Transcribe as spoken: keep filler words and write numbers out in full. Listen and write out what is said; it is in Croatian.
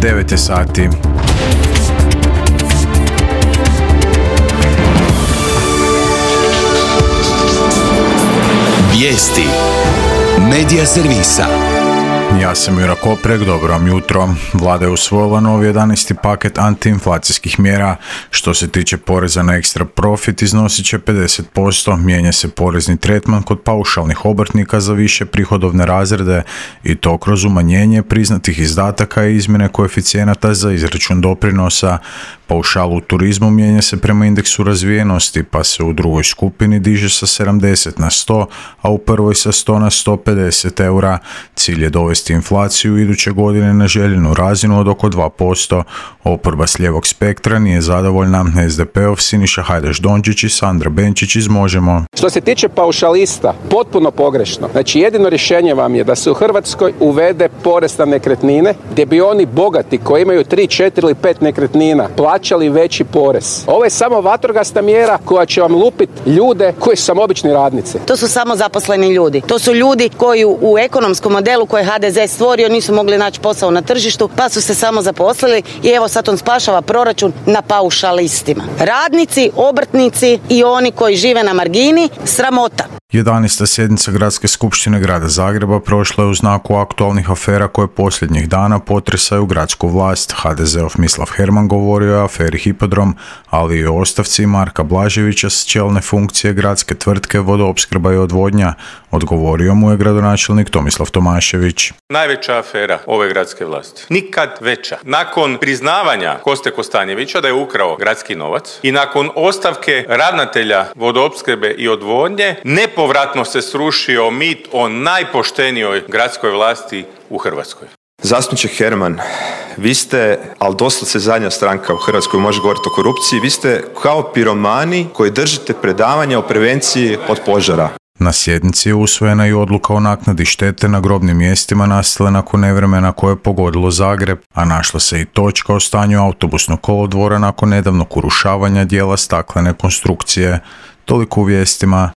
devet je sati. Vijesti Medija servisa. Ja sam Jura Koprek, dobro vam jutro. Vlada je usvojila novi jedanaesti paket antiinflacijskih mjera. Što se tiče poreza na ekstra profit, iznosit će pedeset posto, mijenja se porezni tretman kod paušalnih obrtnika za više prihodovne razrede i to kroz umanjenje priznatih izdataka i izmjene koeficijenata za izračun doprinosa. Paušal u turizmu mijenja se prema indeksu razvijenosti, pa se u drugoj skupini diže sa sedamdeset na sto, a u prvoj sa sto na sto pedeset eura. Cilj je dovesti inflaciju iduće godine na željenu razinu od oko dva posto. Oporba s lijevog spektra nije zadovoljna. es de pe-ov Siniša Hajdaš-Dončić i Sandra Benčić iz Možemo. Što se tiče paušalista, potpuno pogrešno. Znači jedino rješenje vam je da se u Hrvatskoj uvede porez na nekretnine, gdje bi oni bogati koji imaju tri, četiri ili pet nekretnina plaćali veći porez. Ovo je samo vatrogasna mjera koja će vam lupiti ljude koji su samo obični radnici. To su samo zaposleni ljudi. To su ljudi koji u ekonomskom modelu koje ha de ze stvorio nisu mogli naći posao na tržištu, pa su se samo zaposlili i evo sad on spašava proračun na paušalistima. Radnici, obrtnici i oni koji žive na margini, sramota. jedanaesta sjednica Gradske skupštine Grada Zagreba prošla je u znaku aktualnih afera koje posljednjih dana potresaju gradsku vlast. ha de ze-ov Mislav Herman govorio je o aferi Hipodrom, ali i o ostavci Marka Blaževića s čelne funkcije gradske tvrtke Vodoopskrba i odvodnja. Odgovorio mu je gradonačelnik Tomislav Tomašević. Najveća afera ove gradske vlasti. Nikad veća. Nakon priznavanja Koste Kostanjevića da je ukrao gradski novac i nakon ostavke ravnatelja Vodoopskrbe i odvodnje, nepovratno se srušio mit o najpoštenijoj gradskoj vlasti u Hrvatskoj. Zastupniče Herman, vi ste, ali doslovce zadnja stranka u Hrvatskoj može govoriti o korupciji, vi ste kao piromani koji držite predavanja o prevenciji od požara. Na sjednici je usvojena i odluka o naknadi štete na grobnim mjestima nastale nakon nevremena koje je pogodilo Zagreb, a našla se i točka o stanju autobusnog kolodvora nakon nedavnog urušavanja dijela staklene konstrukcije. Toliko u vijestima.